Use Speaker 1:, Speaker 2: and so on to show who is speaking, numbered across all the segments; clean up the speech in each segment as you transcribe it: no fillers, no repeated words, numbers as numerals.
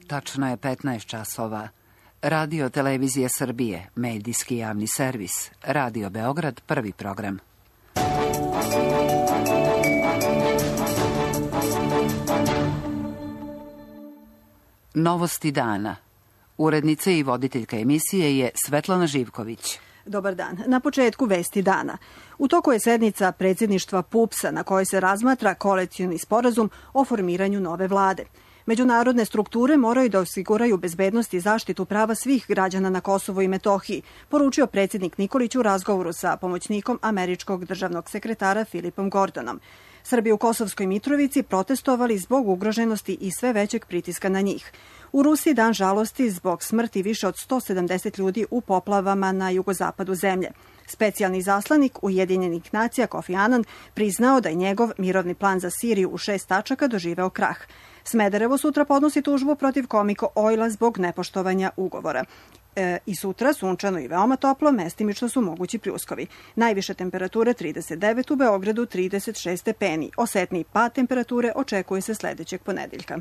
Speaker 1: Tačno je 15 časova. Radio Televizije Srbije, medijski javni servis. Radio Beograd, prvi program. Novosti dana. Urednica i voditeljka emisije je Svetlana Živković.
Speaker 2: Dobar dan. Na početku vesti dana. U toku je sednica predsjedništva PUPS-a na kojoj se razmatra koalicioni sporazum o formiranju nove vlade. Međunarodne strukture moraju da osiguraju bezbednost i zaštitu prava svih građana na Kosovu i Metohiji, poručio predsjednik Nikolić u razgovoru sa pomoćnikom američkog državnog sekretara Filipom Gordonom. Srbi u Kosovskoj Mitrovici protestovali zbog ugroženosti i sve većeg pritiska na njih. U Rusiji dan žalosti zbog smrti više od 170 ljudi u poplavama na jugozapadu zemlje. Specijalni zaslanik Ujedinjenih nacija Kofi Anan priznao da je njegov mirovni plan za Siriju u 6 tačaka doživeo krah. Smederevo sutra podnosi tužbu protiv Komiko Oila zbog nepoštovanja ugovora. I sutra sunčano i veoma toplo, mestimično su mogući pljuskovi. Najviše temperature 39, u Beogradu 36 stepeni. Osetniji pad temperature očekuje se sledećeg ponedeljka.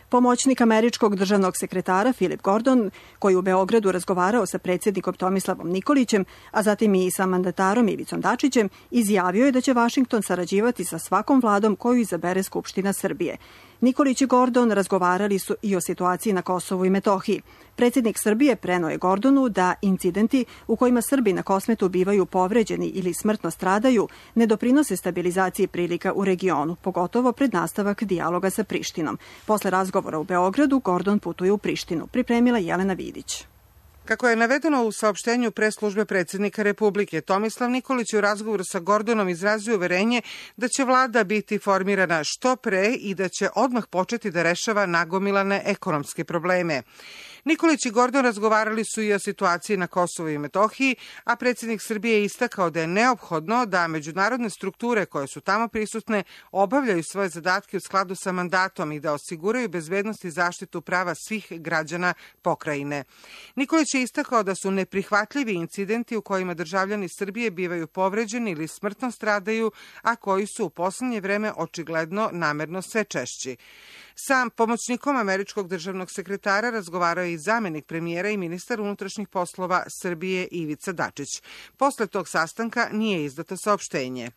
Speaker 2: Pomoćnik američkog državnog sekretara Filip Gordon, koji u Beogradu razgovarao sa predsjednikom Tomislavom Nikolićem, a zatim i sa mandatarom Ivicom Dačićem, izjavio je da će Vašington sarađivati sa svakom vladom koju izabere Skupština Srbije. Nikolić i Gordon razgovarali su i o situaciji na Kosovu i Metohiji. Predsjednik Srbije preneo je Gordonu da incidenti u kojima Srbi na Kosmetu bivaju povređeni ili smrtno stradaju ne doprinose stabilizaciji prilika u regionu, pogotovo pred nastavak dijaloga sa Prištinom. Posle razgovora u Beogradu, Gordon putuje u Prištinu. Pripremila Jelena Vidić.
Speaker 3: Kako je navedeno u saopštenju pres službe predsjednika Republike, Tomislav Nikolić u razgovoru sa Gordonom izrazio uverenje da će vlada biti formirana što pre i da će odmah početi da rešava nagomilane ekonomske probleme. Nikolić i Gordon razgovarali su i o situaciji na Kosovu i Metohiji, a predsjednik Srbije je istakao da je neophodno da međunarodne strukture koje su tamo prisutne obavljaju svoje zadatke u skladu sa mandatom i da osiguraju bezbednost i zaštitu prava svih građana pokrajine. Nikolić je istakao da su neprihvatljivi incidenti u kojima državljani Srbije bivaju povređeni ili smrtno stradaju, a koji su u poslednje vreme očigledno namerno sve češći. Sa pomoćnikom američkog državnog sekretara razgovarao je i zamenik premijera i ministar unutrašnjih poslova Srbije Ivica Dačić. Posle tog sastanka nije izdato saopštenje.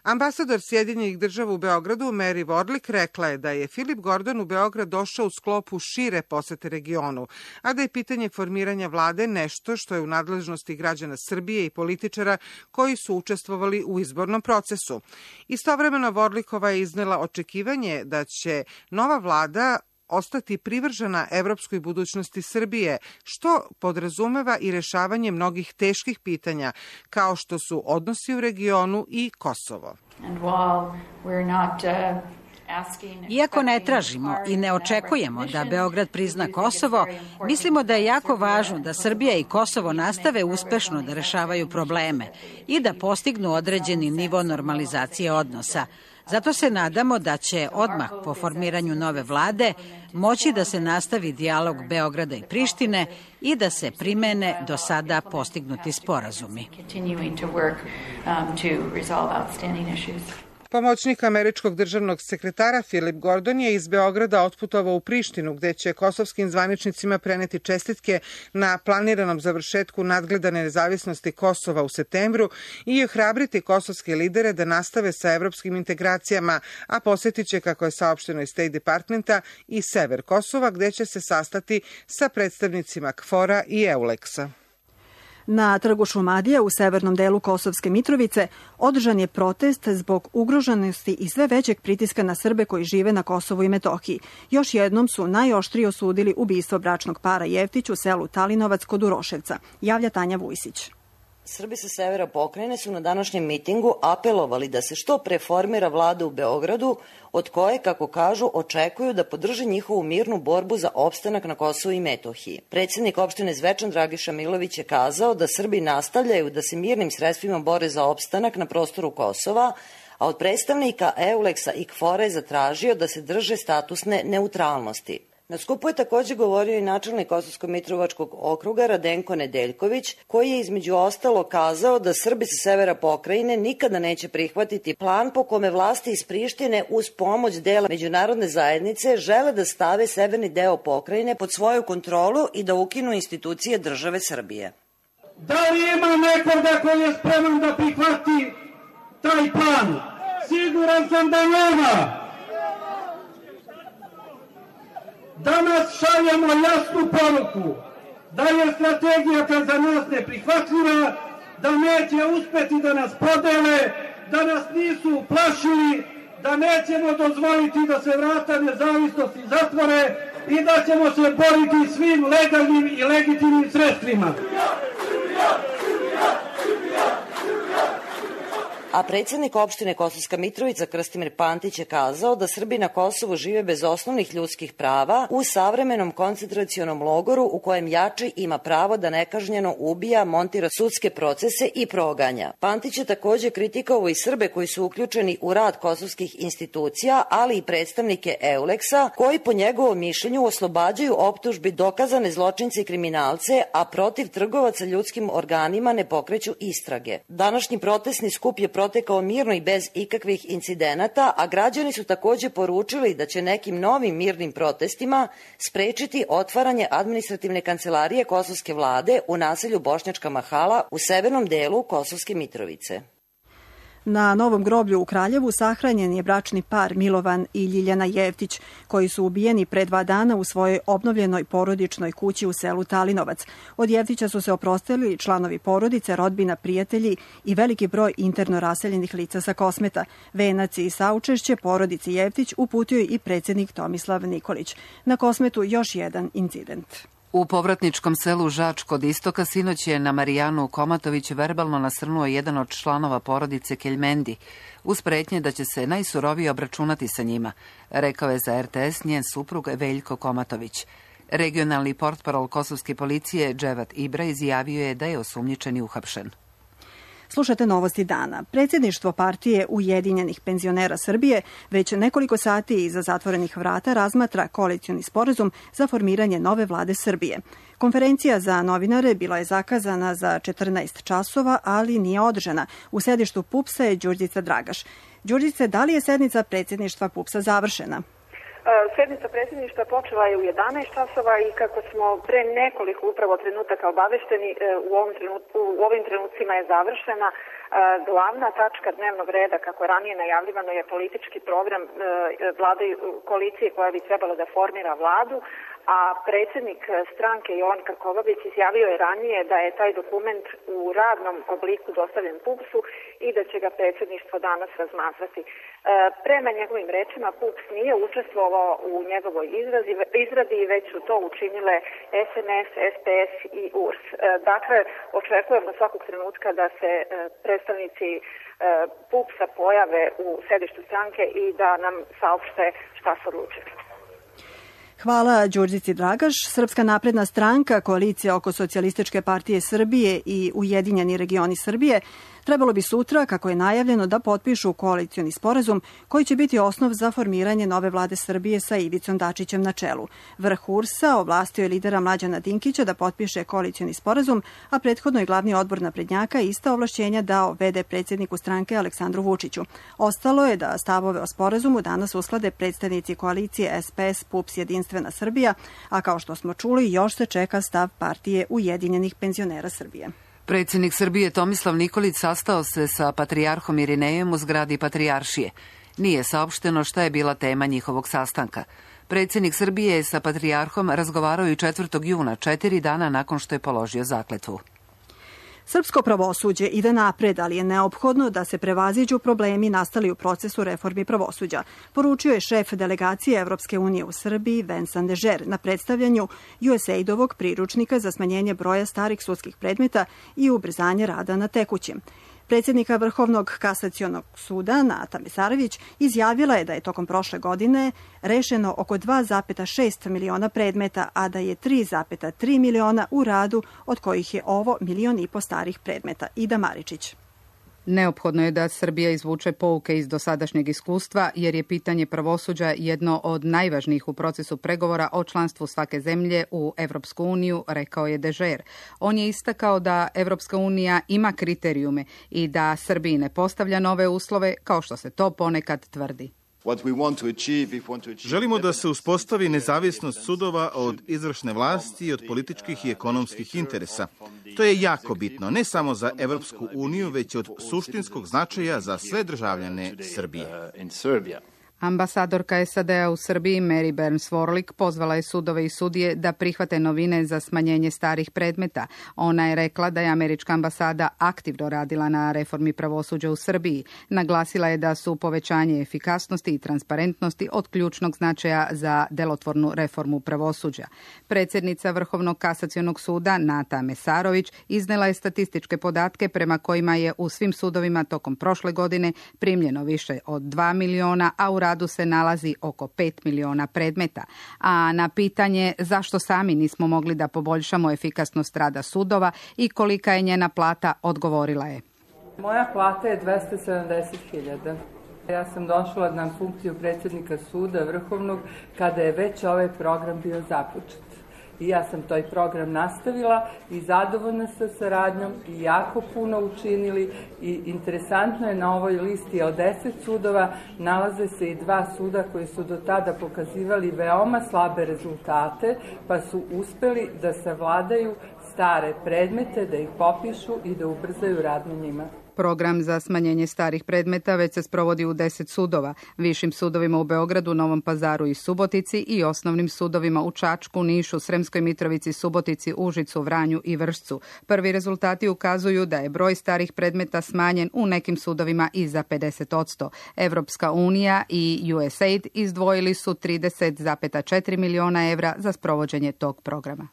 Speaker 3: Ambasador Sjedinjenih država u Beogradu, Mary Warlick, rekla je da je Filip Gordon u Beograd došao u sklopu šire posete regionu, a da je pitanje formiranja vlade nešto što je u nadležnosti građana Srbije i političara koji su učestvovali u izbornom procesu. Istovremeno Warlickova je iznela očekivanje da će nova vlada ostati privržena evropskoj budućnosti Srbije, što podrazumeva i rešavanje mnogih teških pitanja, kao što su odnosi u regionu i Kosovo.
Speaker 4: Iako ne tražimo i ne očekujemo da Beograd prizna Kosovo, mislimo da je jako važno da Srbija i Kosovo nastave uspešno da rešavaju probleme i da postignu određeni nivo normalizacije odnosa. Zato se nadamo da će odmah po formiranju nove vlade moći da se nastavi dijalog Beograda i Prištine i da se primene do sada postignuti sporazumi.
Speaker 3: Pomoćnik američkog državnog sekretara Filip Gordon je iz Beograda otputovao u Prištinu, gde će kosovskim zvaničnicima preneti čestitke na planiranom završetku nadgledane nezavisnosti Kosova u septembru i ohrabriti kosovske lidere da nastave sa evropskim integracijama, a posjetit će, kako je saopšteno iz State Departmenta, i sever Kosova, gde će se sastati sa predstavnicima KFOR-a i EULEX-a.
Speaker 2: Na trgu Šumadija u severnom delu Kosovske Mitrovice održan je protest zbog ugroženosti i sve većeg pritiska na Srbe koji žive na Kosovu i Metohiji. Još jednom su najoštrije osudili ubistvo bračnog para Jeftić u selu Talinovac kod Uroševca, javlja Tanja Vujsić.
Speaker 5: Srbi sa severa pokrajine su na današnjem mitingu apelovali da se što pre formira vlada u Beogradu, od koje, kako kažu, očekuju da podrže njihovu mirnu borbu za opstanak na Kosovu i Metohiji. Predsjednik opštine Zvečan Dragiša Milović je kazao da Srbi nastavljaju da se mirnim sredstvima bore za opstanak na prostoru Kosova, a od predstavnika EULEX-a i KFOR-a je zatražio da se drže statusne neutralnosti. Na skupu je takođe govorio i načelnik Kosovsko-Mitrovačkog okruga Radenko Nedeljković, koji je između ostalo kazao da Srbi sa severa pokrajine nikada neće prihvatiti plan po kome vlasti iz Prištine uz pomoć dela međunarodne zajednice žele da stave severni deo pokrajine pod svoju kontrolu i da ukinu institucije države Srbije.
Speaker 6: Da li ima nekoga koji je spreman da prihvati taj plan? Siguran sam da nema. Danas šaljemo jasnu poruku da je strategija za nas neprihvatljiva, da neće uspeti da nas podele, da nas nisu plašili, da nećemo dozvoliti da se vrata nezavisnosti zatvore i da ćemo se boriti svim legalnim i legitimnim sredstvima.
Speaker 5: A predsjednik opštine Kosovska Mitrovica Krstimir Pantić je kazao da Srbi na Kosovu žive bez osnovnih ljudskih prava u savremenom koncentracionom logoru u kojem jači ima pravo da nekažnjeno ubija, montira sudske procese i proganja. Pantić je takođe kritikovao i Srbe koji su uključeni u rad kosovskih institucija, ali i predstavnike EULEX-a, koji po njegovom mišljenju oslobađaju optužbi dokazane zločince i kriminalce, a protiv trgovaca ljudskim organima ne pokreću istrage. Današnji protestni skup je protekao mirno i bez ikakvih incidenata, a građani su takođe poručili da će nekim novim mirnim protestima sprečiti otvaranje administrativne kancelarije kosovske vlade u naselju Bošnjačka Mahala u severnom delu Kosovske Mitrovice.
Speaker 2: Na Novom groblju u Kraljevu sahranjen je bračni par Milovan i Ljiljana Jevtić, koji su ubijeni pre 2 dana u svojoj obnovljenoj porodičnoj kući u selu Talinovac. Od Jevtića su se oprostili članovi porodice, rodbina, prijatelji i veliki broj interno raseljenih lica sa Kosmeta. Venac i saučešće porodici Jevtić uputio je i predsjednik Tomislav Nikolić. Na Kosmetu još jedan incident.
Speaker 1: U povratničkom selu Žač kod istoka sinoć je na Marijanu Komatović verbalno nasrnuo jedan od članova porodice Keljmendi, uz pretnje da će se najsurovije obračunati sa njima, rekao je za RTS njen suprug Veljko Komatović. Regionalni portparol kosovske policije Dževat Ibra izjavio je da je osumnjičeni uhapšen.
Speaker 2: Slušate novosti dana. Predsjedništvo partije Ujedinjenih penzionera Srbije već nekoliko sati iza zatvorenih vrata razmatra koalicioni sporazum za formiranje nove vlade Srbije. Konferencija za novinare bila je zakazana za 14 časova, ali nije održana. U sedištu PUPS-a je Đurđica Dragaš. Đurđice, da li je sednica predsjedništva PUPS-a završena?
Speaker 7: Sednica predsjedništva počela je u 11 časova i kako smo pre nekoliko upravo trenutaka obavešteni, u ovim trenucima je završena. Glavna tačka dnevnog reda, kako je ranije najavljivano, je politički program vlade koalicije koja bi trebala da formira vladu, a predsjednik stranke Jovan Krkobabić izjavio je ranije da je taj dokument u radnom obliku dostavljen PUPS-u i da će ga predsjedništvo danas razmatrati. Prema njegovim rečima PUPS nije učestvovao u njegovoj izradi, već su to učinile SNS, SPS i URS. Dakle, očekujemo svakog trenutka da se predstavnici PUPS-a pojave u sedištu stranke i da nam saopšte šta su odlučili.
Speaker 2: Hvala Đurđici Dragaš. Srpska napredna stranka, koalicija oko Socijalističke partije Srbije i Ujedinjeni regioni Srbije trebalo bi sutra, kako je najavljeno, da potpišu koalicioni sporazum koji će biti osnov za formiranje nove vlade Srbije sa Ivicom Dačićem na čelu. Vrh URS-a ovlastio je lidera Mlađana Dinkića da potpiše koalicioni sporazum, a prethodno je glavni odbor naprednjaka ista ovlašćenja dao v.d. predsjedniku stranke Aleksandru Vučiću. Ostalo je da stavove o sporazumu danas usklade predstavnici koalicije SPS, PUPS, Jedinstvena Srbija, a kao što smo čuli, još se čeka stav partije Ujedinjenih penzionera Srbije.
Speaker 1: Predsjednik Srbije Tomislav Nikolić sastao se sa patrijarhom Irinejem u zgradi Patrijaršije. Nije saopšteno šta je bila tema njihovog sastanka. Predsjednik Srbije je sa patrijarhom razgovarao i 4. juna, 4 dana nakon što je položio zakletvu.
Speaker 2: Srpsko pravosuđe ide napred, ali je neophodno da se prevaziđu problemi nastali u procesu reformi pravosuđa, poručio je šef delegacije Evropske unije u Srbiji Vincent Dežer na predstavljanju USAID-ovog priručnika za smanjenje broja starih sudskih predmeta i ubrzanje rada na tekućim. Predsjednika Vrhovnog kasacionog suda Nata Mesarović izjavila je da je tokom prošle godine rešeno oko 2,6 miliona predmeta, a da je 3,3 miliona u radu, od kojih je ovo 1,5 miliona starih predmeta. Ida Maričić.
Speaker 8: Neophodno je da Srbija izvuče pouke iz dosadašnjeg iskustva, jer je pitanje pravosuđa jedno od najvažnijih u procesu pregovora o članstvu svake zemlje u Evropsku uniju, rekao je Dežer. On je istakao da Evropska unija ima kriterijume i da Srbiji ne postavlja nove uslove, kao što se to ponekad tvrdi.
Speaker 9: Želimo da se uspostavi nezavisnost sudova od izvršne vlasti i od političkih i ekonomskih interesa. To je jako bitno, ne samo za Evropsku uniju, već od suštinskog značaja za sve državljane Srbije.
Speaker 8: Ambasadorka SAD-a u Srbiji Mary Burns-Worlick pozvala je sudove i sudije da prihvate novine za smanjenje starih predmeta. Ona je rekla da je američka ambasada aktivno radila na reformi pravosuđa u Srbiji. Naglasila je da su povećanje efikasnosti i transparentnosti od ključnog značaja za delotvornu reformu pravosuđa. Predsjednica Vrhovnog kasacionog suda Nata Mesarović iznela je statističke podatke prema kojima je u svim sudovima tokom prošle godine primljeno više od 2 miliona, a u radu se nalazi oko 5 miliona predmeta. A na pitanje zašto sami nismo mogli da poboljšamo efikasnost rada sudova i kolika je njena plata, odgovorila je.
Speaker 10: Moja plata je 270.000. Ja sam došla na funkciju predsjednika suda Vrhovnog kada je već ovaj program bio započet. I ja sam taj program nastavila i zadovoljna sa saradnjom i jako puno učinili i interesantno je na ovoj listi od 10 sudova nalaze se i 2 suda koji su do tada pokazivali veoma slabe rezultate pa su uspeli da savladaju stare predmete, da ih popišu i da ubrzaju rad na njima.
Speaker 8: Program za smanjenje starih predmeta već se sprovodi u 10 sudova, višim sudovima u Beogradu, Novom Pazaru i Subotici i osnovnim sudovima u Čačku, Nišu, Sremskoj Mitrovici, Subotici, Užicu, Vranju i Vršcu. Prvi rezultati ukazuju da je broj starih predmeta smanjen u nekim sudovima i za 50%. Evropska unija i USAID izdvojili su 30,4 miliona evra za sprovođenje tog programa.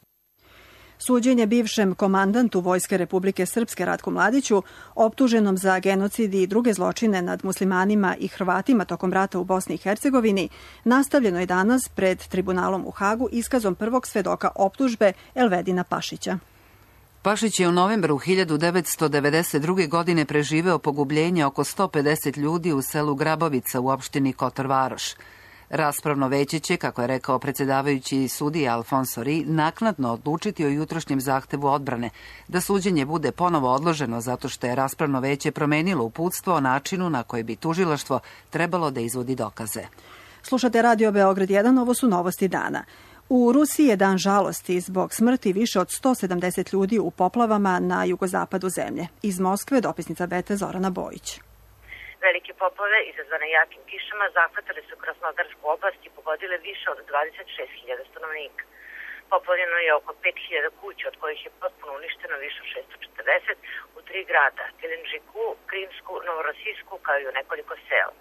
Speaker 2: Suđenje bivšem komandantu Vojske Republike Srpske Ratku Mladiću, optuženom za genocid i druge zločine nad muslimanima i Hrvatima tokom rata u Bosni i Hercegovini, nastavljeno je danas pred tribunalom u Hagu iskazom prvog svedoka optužbe Elvedina Pašića.
Speaker 1: Pašić je u novembru 1992. godine preživeo pogubljenje oko 150 ljudi u selu Grabovica u opštini Kotor Varoš. Raspravno veće će, kako je rekao predsjedavajući sudija Alfonso Ri, naknadno odlučiti o jutrošnjem zahtevu odbrane, da suđenje bude ponovo odloženo zato što je raspravno veće promenilo uputstvo o načinu na koji bi tužilaštvo trebalo da izvodi dokaze.
Speaker 2: Slušate Radio Beograd 1, ovo su novosti dana. U Rusiji je dan žalosti zbog smrti više od 170 ljudi u poplavama na jugozapadu zemlje. Iz Moskve dopisnica BT Zorana Bojić.
Speaker 11: Velike poplave izazvane jakim kišama zahvatile su Krasnodarsku oblast i pogodile više od 26.000 stanovnika. Poplavljeno je oko 5.000 kuća, od kojih je potpuno uništeno više od 640 u 3 grada, Gelenđiku, Krimsku, Novorosijsku, kao i u nekoliko sela.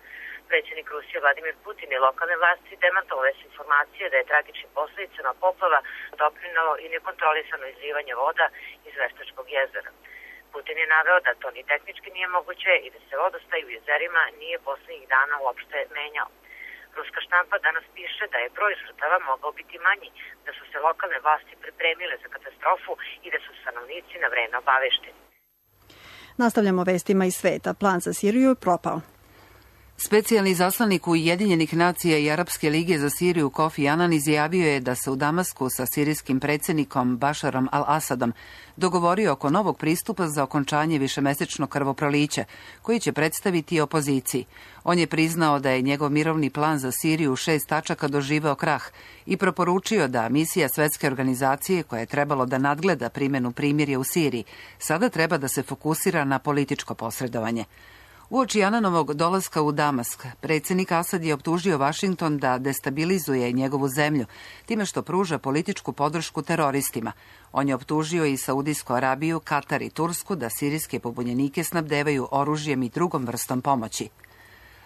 Speaker 11: Predsjednik Rusije Vladimir Putin i lokalne vlasti demantovale su informacije da je tragičnim posledicama poplava doprinelo i nekontrolisano izlivanje voda iz Veštačkog jezera. Putin je naveo da to ni tehnički nije moguće i da se vodostaj u jezerima nije poslednjih dana uopšte menjao. Ruska štampa danas piše da je broj žrtava mogao biti manji, da su se lokalne vlasti pripremile za katastrofu i da su stanovnici na vreme obavešteni.
Speaker 2: Nastavljamo vestima iz sveta. Plan za Siriju je propao.
Speaker 1: Specijalni zaslanik Ujedinjenih nacija i Arapske lige za Siriju Kofi Anan izjavio je da se u Damasku sa sirijskim predsjednikom Bašarom al-Asadom dogovorio oko novog pristupa za okončanje višemesečnog krvoprolića, koji će predstaviti opoziciji. On je priznao da je njegov mirovni plan za Siriju u 6 tačaka doživeo krah i proporučio da misija Svetske organizacije, koja je trebalo da nadgleda primjenu primirja u Siriji, sada treba da se fokusira na političko posredovanje. Uoči Ananovog dolaska u Damask, predsjednik Asad je optužio Vašington da destabilizuje njegovu zemlju, time što pruža političku podršku teroristima. On je optužio i Saudijsku Arabiju, Katar i Tursku da sirijske pobunjenike snabdevaju oružjem i drugom vrstom pomoći.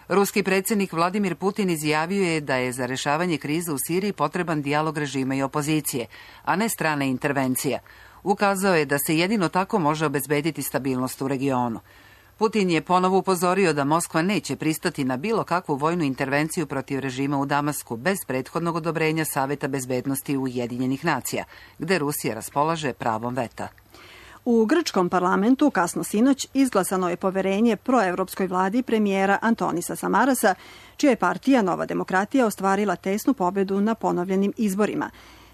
Speaker 1: Ruski predsjednik Vladimir Putin izjavio je da je za rešavanje krize u Siriji potreban dijalog režima i opozicije, a ne strana intervencija. Ukazao je da se jedino tako može obezbediti stabilnost u regionu. Putin je ponovo upozorio da Moskva neće pristati na bilo kakvu vojnu intervenciju protiv režima u Damasku bez prethodnog odobrenja Saveta bezbednosti Ujedinjenih nacija, gde Rusija raspolaže pravom veta.
Speaker 2: U grčkom parlamentu kasno sinoć izglasano je poverenje proevropskoj vladi premijera Antonisa Samarasa, čija je partija Nova demokratija ostvarila tesnu pobedu na ponovljenim izborima.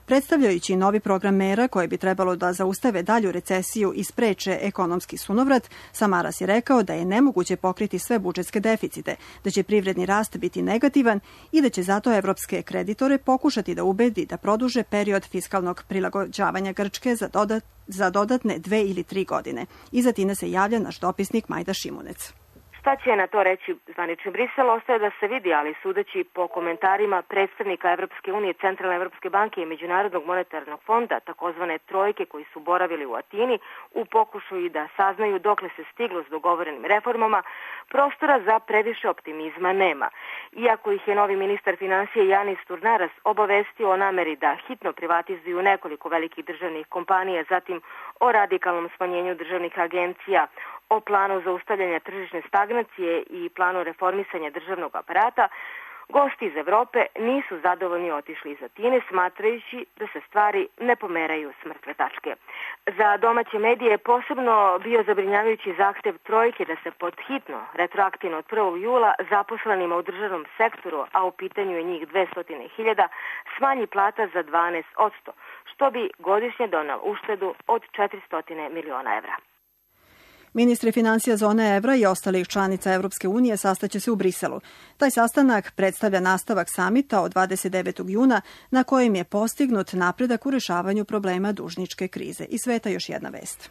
Speaker 2: Predstavljajući novi program mera koje bi trebalo da zaustave dalju recesiju i spreče ekonomski sunovrat, Samaras je rekao da je nemoguće pokriti sve budžetske deficite, da će privredni rast biti negativan i da će zato evropske kreditore pokušati da ubedi da produže period fiskalnog prilagođavanja Grčke za dodatne 2 ili 3 godine. Iza Atine se javlja naš dopisnik Majda Šimunec.
Speaker 12: Šta će na to reći zvanični Brisel, ostaje da se vidi, ali sudeći po komentarima predstavnika Evropske unije, Centralne Evropske banke i Međunarodnog monetarnog fonda, takozvane trojke koji su boravili u Atini, u pokušaju da saznaju dokle se stiglo s dogovorenim reformama, prostora za previše optimizma nema. Iako ih je novi ministar financije Janis Turnaras obavestio o nameri da hitno privatizuju nekoliko velikih državnih kompanija, zatim o radikalnom smanjenju državnih agencija, o planu zaustavljanja tržišne stagnacije i planu reformisanja državnog aparata, gosti iz Evrope nisu zadovoljni otišli iz Atine, smatrajući da se stvari ne pomeraju s mrtve tačke. Za domaće medije je posebno bio zabrinjavajući zahtev trojke da se podhitno, retroaktivno od 1. jula, zaposlenima u državnom sektoru, a u pitanju je njih 200.000, smanji plata za 12%, što bi godišnje donalo uštedu od 400 miliona evra.
Speaker 2: Ministri financija zone evra i ostalih članica Evropske unije sastaće se u Briselu. Taj sastanak predstavlja nastavak samita od 29. juna na kojem je postignut napredak u rešavanju problema dužničke krize. Iz sveta još jedna vest.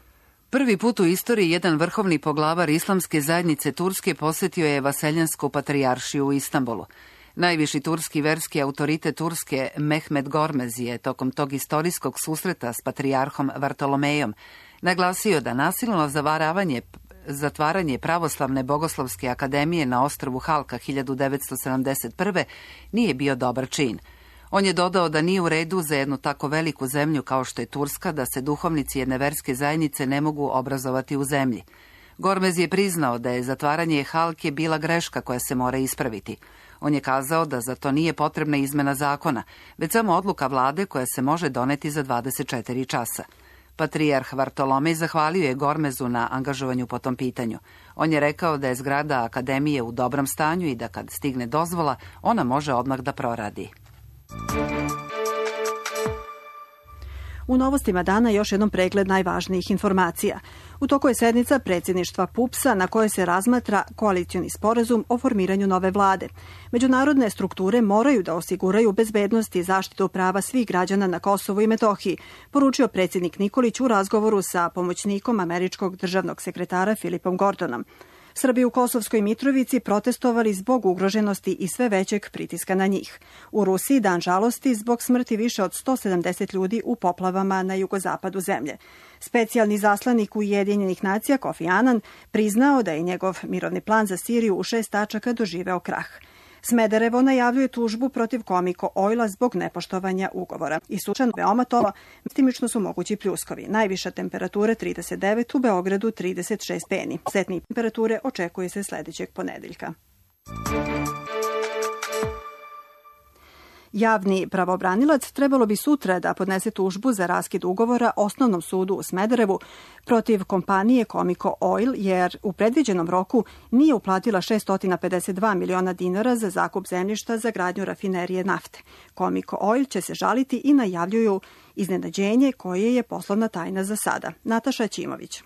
Speaker 1: Prvi put u istoriji jedan vrhovni poglavar islamske zajednice Turske posetio je Vaseljansku patrijaršiju u Istanbulu. Najviši turski verski autoritet Turske Mehmet Gormez je tokom tog istorijskog susreta s patrijarhom Vartolomejom naglasio da nasilno zatvaranje Pravoslavne bogoslovske akademije na ostrvu Halka 1971. nije bio dobar čin. On je dodao da nije u redu za jednu tako veliku zemlju kao što je Turska da se duhovnici jedne verske zajednice ne mogu obrazovati u zemlji. Gormez je priznao da je zatvaranje Halke bila greška koja se mora ispraviti. On je kazao da za to nije potrebna izmena zakona, već samo odluka vlade koja se može doneti za 24 časa. Patrijarh Vartolomej zahvalio je Gormezu na angažovanju po tom pitanju. On je rekao da je zgrada akademije u dobrom stanju i da kad stigne dozvola, ona može odmah da proradi.
Speaker 2: U novostima dana još jednom pregled najvažnijih informacija. U toku je sednica predsjedništva PUPS-a na kojoj se razmatra koalicioni sporazum o formiranju nove vlade. Međunarodne strukture moraju da osiguraju bezbednost i zaštitu prava svih građana na Kosovu i Metohiji, poručio predsjednik Nikolić u razgovoru sa pomoćnikom američkog državnog sekretara Filipom Gordonom. Srbi u Kosovskoj Mitrovici protestovali zbog ugroženosti i sve većeg pritiska na njih. U Rusiji dan žalosti zbog smrti više od 170 ljudi u poplavama na jugozapadu zemlje. Specijalni zaslanik Ujedinjenih nacija Kofi Annan priznao da je njegov mirovni plan za Siriju u 6 tačaka doživeo krah. Smederevo najavljuje tužbu protiv Comico Oila zbog nepoštovanja ugovora. I sušan veoma toplo, mestimično su mogući pljuskovi. Najviša temperatura 39, u Beogradu 36 stepeni. Setne temperature očekuje se sledećeg ponedeljka. Javni pravobranilac trebalo bi sutra da podnese tužbu za raskid ugovora Osnovnom sudu u Smederevu protiv kompanije Comico Oil, jer u predviđenom roku nije uplatila 652 miliona dinara za zakup zemljišta za gradnju rafinerije nafte. Comico Oil će se žaliti i najavljuju iznenađenje koje je poslovna tajna za sada. Nataša Ćimović.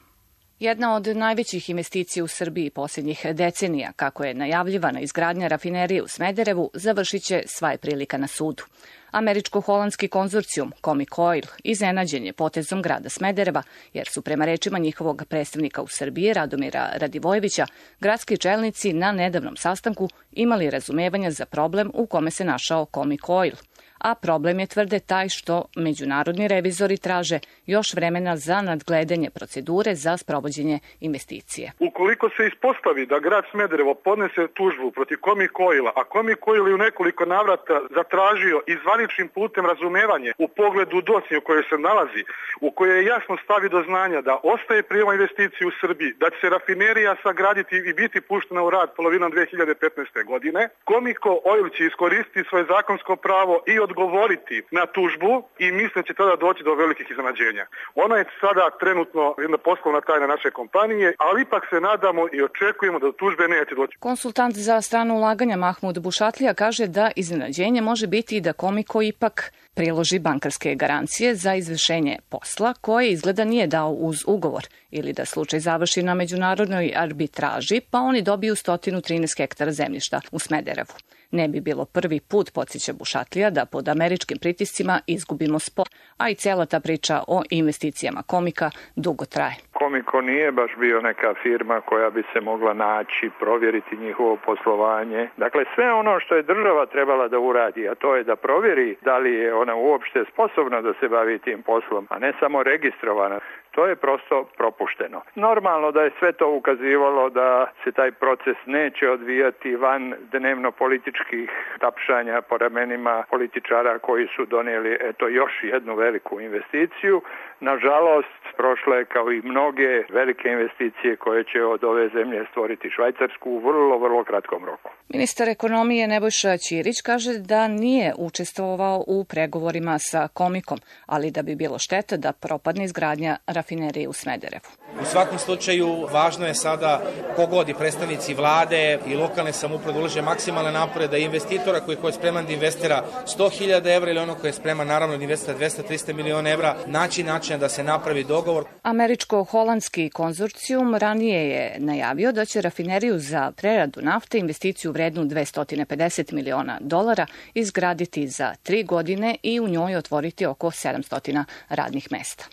Speaker 13: Jedna od najvećih investicija u Srbiji posljednjih decenija, kako je najavljivana izgradnja rafinerije u Smederevu, završit će sva je prilika na sudu. Američko-holandski konzorcijum Comico Oil iznenađen je potezom grada Smedereva, jer su prema rečima njihovog predstavnika u Srbiji, Radomira Radivojevića, gradski čelnici na nedavnom sastanku imali razumevanja za problem u kome se našao Comico Oil. A problem je, tvrde, taj što međunarodni revizori traže još vremena za nadgledanje procedure za sprovođenje investicije.
Speaker 14: Ukoliko se ispostavi da grad Smederevo podnese tužbu protiv Comico Oila, a Comico Oil je u nekoliko navrata zatražio i zvaničnim putem razumevanje u pogledu dosije u kojoj se nalazi, u kojoj je jasno stavi do znanja da ostaje prijema investicije u Srbiji, da će se rafinerija sagraditi i biti puštena u rad polovinom 2015. godine, Comico Oil će iskoristiti svoje zakonsko pravo i od odgovoriti na tužbu i mislim da će tada doći do velikih iznenađenja. Ona je sada trenutno jedna poslovna tajna naše kompanije, ali ipak se nadamo i očekujemo da do tužbe neće doći.
Speaker 13: Konsultant za strano ulaganja Mahmud Bušatlija kaže da iznenađenje može biti i da Komiko ipak priloži bankarske garancije za izvršenje posla koje izgleda nije dao uz ugovor ili da slučaj završi na međunarodnoj arbitraži pa oni dobiju 113 hektara zemljišta u Smederevu. Ne bi bilo prvi put, podsjeća Bušatlija, da pod američkim pritiscima izgubimo spor, a i cela ta priča o investicijama Komika dugo traje.
Speaker 15: Komiko nije baš bio neka firma koja bi se mogla naći, provjeriti njihovo poslovanje. Dakle, sve ono što je država trebala da uradi, a to je da provjeri da li je ona uopšte sposobna da se bavi tim poslom, a ne samo registrovana. To je prosto propušteno. Normalno da je sve to ukazivalo da se taj proces neće odvijati van dnevno političkih tapšanja po ramenima političara koji su donijeli još jednu veliku investiciju. Nažalost, prošle je kao i mnoge velike investicije koje će od ove zemlje stvoriti Švajcarsku u vrlo kratkom roku.
Speaker 13: Ministar ekonomije Nebojša Ćirić kaže da nije učestvovao u pregovorima sa Komikom, ali da bi bilo šteta da propadne izgradnja rafinerije u Smederevu.
Speaker 16: U svakom slučaju važno je sada kogod i predstavnici vlade i lokalne samouprave ulože maksimalne napore da investitora koji je spreman da investira 100.000 evra ili ono koji je spreman naravno da investira 200-300 miliona evra, naći način da se napravi dogovor.
Speaker 13: Američko-holandski konzorcijum ranije je najavio da će rafineriju za preradu nafte investiciju vrednu $250 miliona izgraditi za 3 godine i u njoj otvoriti oko 700 radnih mesta.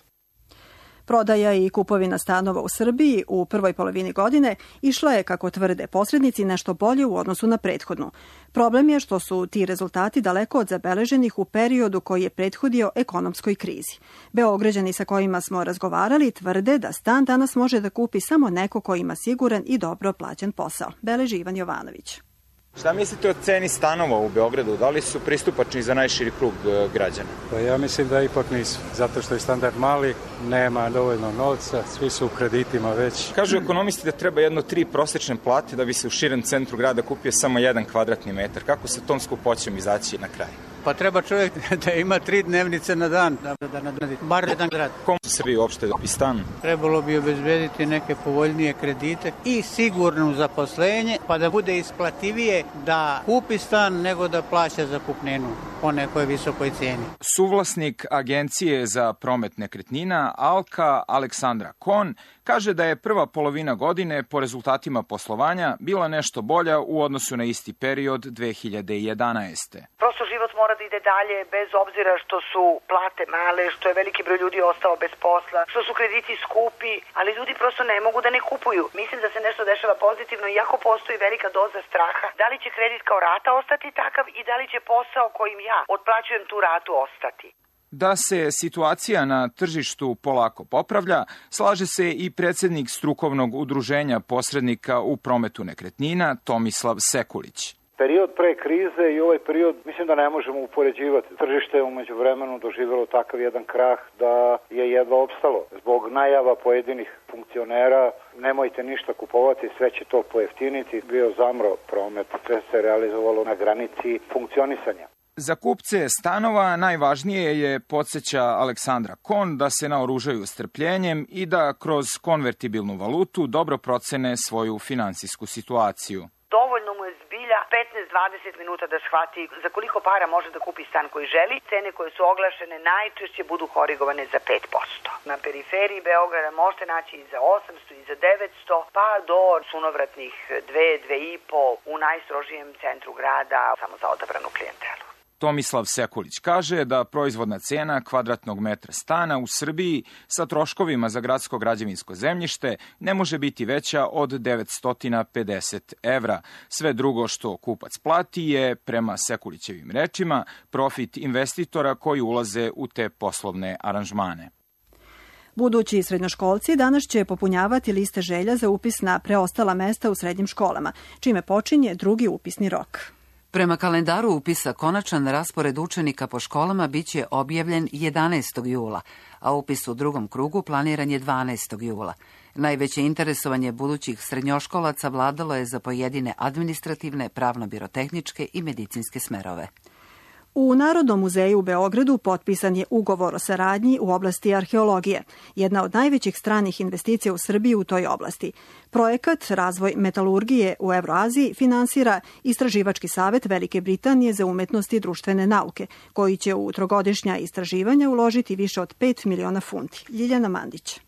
Speaker 2: Prodaja i kupovina stanova u Srbiji u prvoj polovini godine išla je, kako tvrde posrednici, nešto bolje u odnosu na prethodnu. Problem je što su ti rezultati daleko od zabeleženih u periodu koji je prethodio ekonomskoj krizi. Beograđani sa kojima smo razgovarali tvrde da stan danas može da kupi samo neko ko ima siguran i dobro plaćen posao. Beleži Ivan Jovanović.
Speaker 17: Šta mislite o ceni stanova u Beogradu? Da li su pristupačni za najširi krug građana?
Speaker 18: Pa ja mislim da ipak nisu, zato što je standard mali, nema dovoljno novca, svi su u kreditima već.
Speaker 17: Kažu ekonomisti da treba 3 prosečne plate da bi se u širem centru grada kupio samo 1 kvadratni metar. Kako sa tom skupoćom izaći na kraj?
Speaker 19: Pa treba čovjek da ima 3 dnevnice na dan, da nadredi bar jedan grad.
Speaker 17: Komu se Srbiji uopšte dobi stan?
Speaker 19: Trebalo bi obezbediti neke povoljnije kredite i sigurno zaposlenje, pa da bude isplativije da kupi stan nego da plaća zakupninu po nekoj visokoj cijeni.
Speaker 17: Suvlasnik Agencije za promet nekretnina Alka Aleksandra Kon kaže da je prva polovina godine po rezultatima poslovanja bila nešto bolja u odnosu na isti period 2011.
Speaker 20: Prosto život mora da ide dalje bez obzira što su plate male, što je veliki broj ljudi ostao bez posla, što su krediti skupi, ali ljudi prosto ne mogu da ne kupuju. Mislim da se nešto dešava pozitivno, iako postoji velika doza straha. Da li će kredit kao rata ostati takav i da li će posao kojim ja otplaćujem tu ratu ostati?
Speaker 17: Da se situacija na tržištu polako popravlja, slaže se i predsjednik strukovnog udruženja posrednika u prometu nekretnina Tomislav Sekulić.
Speaker 21: Period pre krize i ovaj period mislim da ne možemo upoređivati. Tržište je umeđu vremenu doživjelo takav jedan krah da je jedva opstalo. Zbog najava pojedinih funkcionera nemojte ništa kupovati, sve će to pojeftiniti. Bio zamro promet, sve se realizovalo na granici funkcionisanja.
Speaker 17: Za kupce stanova najvažnije je, podsjeća Aleksandra Kon, da se naoružaju strpljenjem i da kroz konvertibilnu valutu dobro procene svoju finansijsku situaciju.
Speaker 20: Dovoljno mu je zbilja 15-20 minuta da shvati za koliko para može da kupi stan koji želi. Cene koje su oglašene najčešće budu korigovane za 5%. Na periferiji Beograda možete naći i za 800 i za 900, pa do sunovratnih 2-2,5 u najstrožijem centru grada samo za odabranu klijentelu.
Speaker 17: Tomislav Sekulić kaže da proizvodna cena kvadratnog metra stana u Srbiji sa troškovima za gradsko građevinsko zemljište ne može biti veća od 950 evra. Sve drugo što kupac plati je, prema Sekulićevim rečima, profit investitora koji ulaze u te poslovne aranžmane.
Speaker 2: Budući srednjoškolci danas će popunjavati liste želja za upis na preostala mesta u srednjim školama, čime počinje drugi upisni rok.
Speaker 1: Prema kalendaru upisa konačan raspored učenika po školama biće objavljen 11. jula, a upis u drugom krugu planiran je 12. jula. Najveće interesovanje budućih srednjoškolaca vladalo je za pojedine administrativne, pravno-birotehničke i medicinske smerove.
Speaker 2: U Narodnom muzeju u Beogradu potpisan je ugovor o saradnji u oblasti arheologije, jedna od najvećih stranih investicija u Srbiji u toj oblasti. Projekat Razvoj metalurgije u Evroaziji finansira Istraživački savet Velike Britanije za umetnost i društvene nauke, koji će u trogodišnja istraživanja uložiti više od 5 miliona funti. Ljiljana Mandić.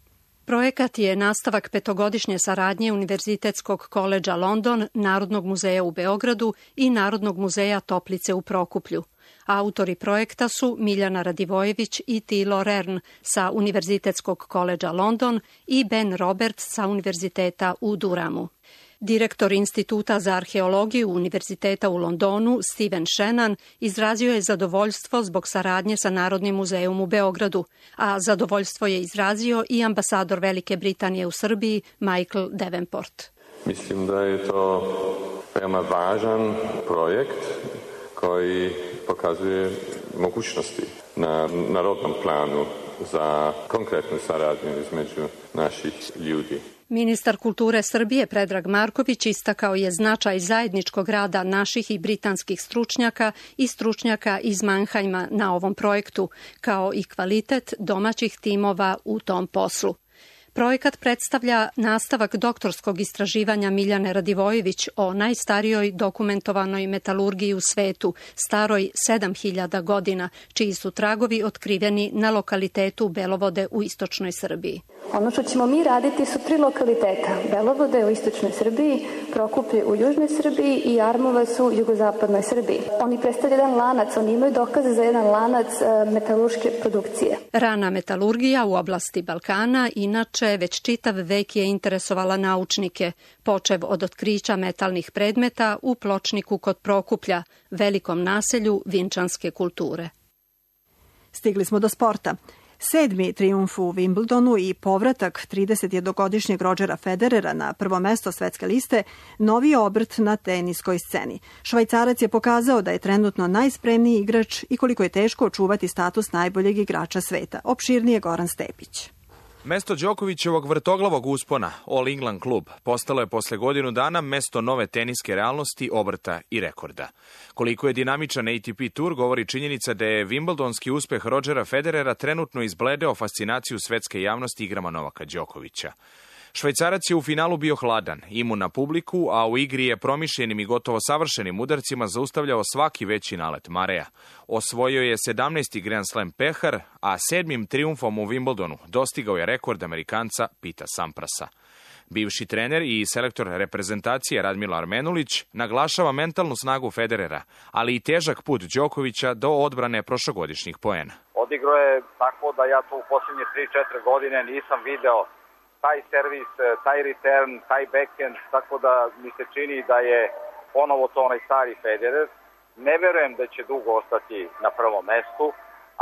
Speaker 4: Projekat je nastavak petogodišnje saradnje Univerzitetskog koledža London, Narodnog muzeja u Beogradu i Narodnog muzeja Toplice u Prokuplju. Autori projekta su Miljana Radivojević i Tilo Rern sa Univerzitetskog koledža London i Ben Roberts sa Univerziteta u Duramu. Direktor Instituta za arheologiju Univerziteta u Londonu, Steven Shannon, izrazio je zadovoljstvo zbog saradnje sa Narodnim muzejom u Beogradu, a zadovoljstvo je izrazio i ambasador Velike Britanije u Srbiji, Michael Davenport.
Speaker 22: Mislim da je to veoma važan projekt koji pokazuje mogućnosti na narodnom planu za konkretnu saradnju između naših ljudi.
Speaker 4: Ministar kulture Srbije Predrag Marković istakao je značaj zajedničkog rada naših i britanskih stručnjaka i stručnjaka iz Mannheima na ovom projektu, kao i kvalitet domaćih timova u tom poslu. Projekat predstavlja nastavak doktorskog istraživanja Miljane Radivojević o najstarijoj dokumentovanoj metalurgiji u svetu, staroj 7000 godina, čiji su tragovi otkriveni na lokalitetu Belovode u istočnoj Srbiji.
Speaker 23: Ono što ćemo mi raditi su 3 lokaliteta. Belovode u istočnoj Srbiji, Prokuplje u južnoj Srbiji i Armovac u jugozapadnoj Srbiji. Oni predstavljaju jedan lanac, oni imaju dokaze za jedan lanac metalurške produkcije.
Speaker 4: Rana metalurgija u oblasti Balkana inače već čitav vek je interesovala naučnike, počev od otkrića metalnih predmeta u Pločniku kod Prokuplja, velikom naselju vinčanske kulture.
Speaker 2: Stigli smo do sporta. 7. trijumf u Wimbledonu i povratak 31-godišnjeg Rodgera Federera na prvo mesto svetske liste, novi obrt na teniskoj sceni. Švajcarac je pokazao da je trenutno najspremniji igrač i koliko je teško očuvati status najboljeg igrača sveta. Opširnije Goran Stepić.
Speaker 24: Mesto Đokovićevog vrtoglavog uspona, All England klub, postalo je posle godinu dana mesto nove teniske realnosti, obrta i rekorda. Koliko je dinamičan ATP tur govori činjenica da je Wimbledonski uspeh Rodgera Federera trenutno izbledeo fascinaciju svetske javnosti igrama Novaka Đokovića. Švajcarac je u finalu bio hladan, imun na publiku, a u igri je promišljenim i gotovo savršenim udarcima zaustavljao svaki veći nalet Mareja. Osvojio je 17. Grand Slam pehar, a 7. trijumfom u Wimbledonu dostigao je rekord Amerikanca Pita Samprasa. Bivši trener i selektor reprezentacije Radmilo Armenulić naglašava mentalnu snagu Federera, ali i težak put Đokovića do odbrane prošlogodišnjih poena.
Speaker 25: Odigrao je tako da ja to u posljednje 3-4 godine nisam video taj servis, taj return, taj backhand, tako da mi se čini da je ponovo to onaj stari Federer. Ne verujem da će dugo ostati na prvom mestu,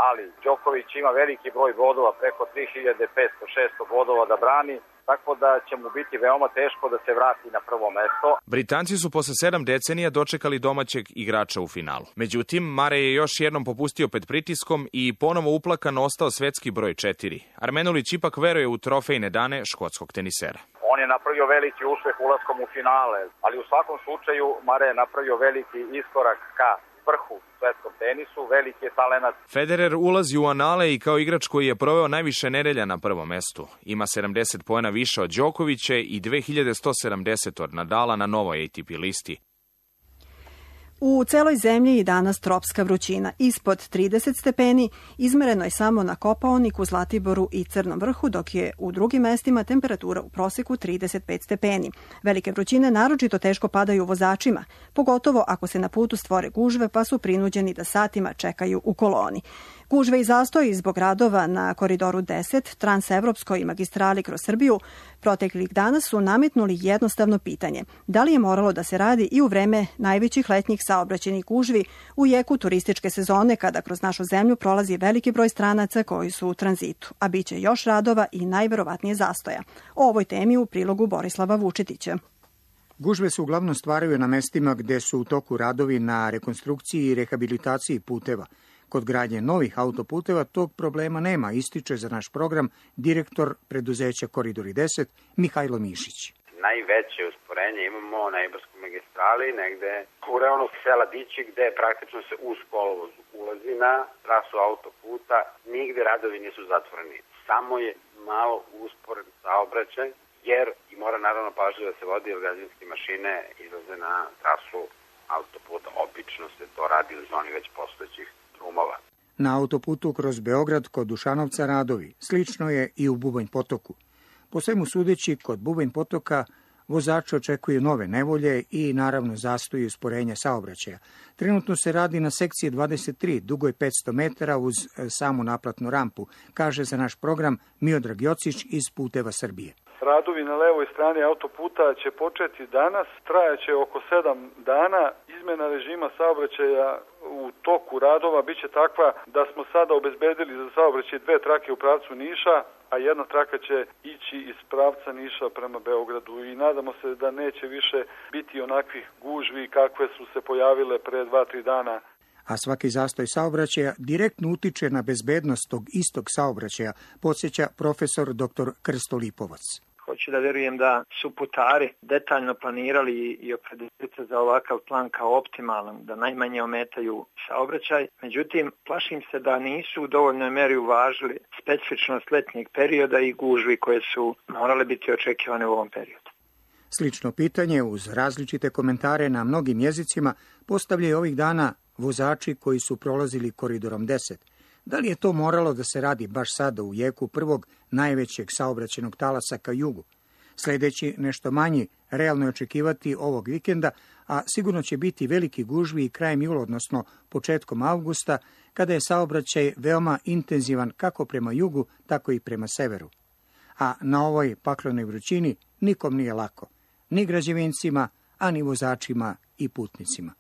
Speaker 25: ali Đoković ima veliki broj bodova, preko 3500-600 bodova da brani, tako da će mu biti veoma teško da se vrati na prvo mesto.
Speaker 24: Britanci su posle 7 decenija dočekali domaćeg igrača u finalu. Međutim, Marej je još jednom popustio pred pritiskom i ponovo uplakan ostao svetski broj 4. Armenulić ipak veruje u trofejne dane škotskog tenisera.
Speaker 25: On je napravio veliki uspeh ulaskom u finale, ali u svakom slučaju Marej je napravio veliki iskorak ka vrhu svetskom tenisu, veliki je talenat.
Speaker 24: Federer ulazi u anale i kao igrač koji je proveo najviše nedelja na prvom mestu. Ima 70 poena više od Đokovića i 2170 od Nadala na novoj ATP listi.
Speaker 2: U celoj zemlji i danas tropska vrućina. Ispod 30 stepeni izmereno je samo na Kopaoniku, Zlatiboru i Crnom vrhu, dok je u drugim mestima temperatura u proseku 35 stepeni. Velike vrućine naročito teško padaju vozačima, pogotovo ako se na putu stvore gužve pa su prinuđeni da satima čekaju u koloni. Gužve i zastoji zbog radova na Koridoru 10, transevropskoj i magistrali kroz Srbiju, proteklih dana su nametnuli jednostavno pitanje. Da li je moralo da se radi i u vreme najvećih letnjih saobraćajnih gužvi u jeku turističke sezone kada kroz našu zemlju prolazi veliki broj stranaca koji su u tranzitu, a bit će još radova i najverovatnije zastoja. O ovoj temi u prilogu Borislava Vučetića.
Speaker 26: Gužve se uglavnom stvaraju na mestima gde su u toku radovi na rekonstrukciji i rehabilitaciji puteva. Kod gradnje novih autoputeva tog problema nema, ističe za naš program direktor preduzeća Koridori 10 Mihajlo Mišić.
Speaker 27: Najveće usporenje imamo na Ibarskoj magistrali, negde u reonu sela Dići, gde praktično se uz kolovoz u ulazi na trasu autoputa, nigde radovi nisu zatvoreni. Samo je malo usporen saobraćaj, jer i mora naravno pažljivo da se vodi, jer građevinske mašine izlaze na trasu autoputa. Obično se to radi u zoni već postojećih drumova.
Speaker 26: Na autoputu kroz Beograd kod Dušanovca radovi. Slično je i u Bubanj potoku. Po svemu sudeći, kod Bubanj potoka vozači očekuju nove nevolje i naravno zastoji usporenja saobraćaja. Trenutno se radi na sekciji 23, dugoj 500 metara uz samu naplatnu rampu, kaže za naš program Miodrag Jocić iz Puteva Srbije.
Speaker 3: Radovi na levoj strani autoputa će početi danas, trajaće oko 7 dana. Izmena režima saobraćaja u toku radova biće takva da smo sada obezbedili za saobraćaj 2 trake u pravcu Niša, a 1 traka će ići iz pravca Niša prema Beogradu i nadamo se da neće više biti onakvih gužvi kakve su se pojavile pre 2-3 dana.
Speaker 26: A svaki zastoj saobraćaja direktno utiče na bezbednost tog istog saobraćaja, podsjeća profesor dr. Krsto Lipovac.
Speaker 5: Hoću da verujem da su putari detaljno planirali i opredelili se za ovakav plan kao optimalan, da najmanje ometaju saobraćaj. Međutim, plašim se da nisu u dovoljnoj meri uvažili specifičnost letnjeg perioda i gužvi koje su morale biti očekivane u ovom periodu.
Speaker 26: Slično pitanje uz različite komentare na mnogim jezicima postavljaju ovih dana vozači koji su prolazili koridorom 10. Da li je to moralo da se radi baš sada u jeku prvog najvećeg saobraćajnog talasa ka jugu? Sledeći nešto manji, realno je očekivati ovog vikenda, a sigurno će biti veliki gužvi i krajem jula, odnosno početkom avgusta, kada je saobraćaj veoma intenzivan kako prema jugu, tako i prema severu. A na ovoj paklenoj vrućini nikom nije lako, ni građevincima, a ni vozačima i putnicima.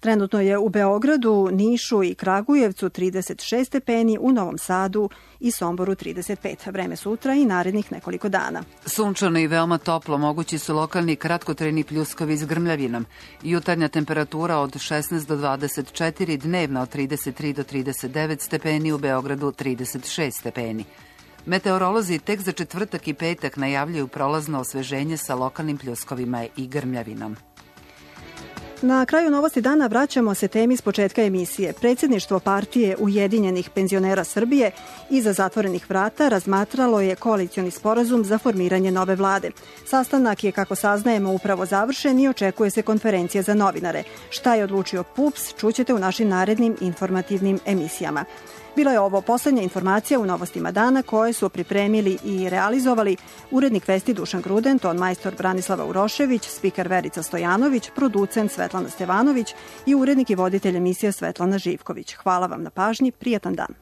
Speaker 2: Trenutno je u Beogradu, Nišu i Kragujevcu 36 stepeni, u Novom Sadu i Somboru 35. Vreme sutra i narednih nekoliko dana.
Speaker 1: Sunčano i veoma toplo, mogući su lokalni kratkotrajni pljuskovi s grmljavinom. Jutarnja temperatura od 16 do 24, dnevna od 33 do 39 stepeni, u Beogradu 36 stepeni. Meteorolozi tek za četvrtak i petak najavljuju prolazno osveženje sa lokalnim pljuskovima i grmljavinom.
Speaker 2: Na kraju novosti dana vraćamo se temi s početka emisije. Predsjedništvo partije Ujedinjenih penzionera Srbije iza zatvorenih vrata razmatralo je koalicioni sporazum za formiranje nove vlade. Sastanak je, kako saznajemo, upravo završen i očekuje se konferencija za novinare. Šta je odlučio PUPS, čućete u našim narednim informativnim emisijama. Bila je ovo poslednja informacija u novostima dana koje su pripremili i realizovali urednik Vesti Dušan Gruden, ton majstor Branislava Urošević, spiker Verica Stojanović, producent Svetlana Stevanović i urednik i voditelj emisija Svetlana Živković. Hvala vam na pažnji, prijatan dan.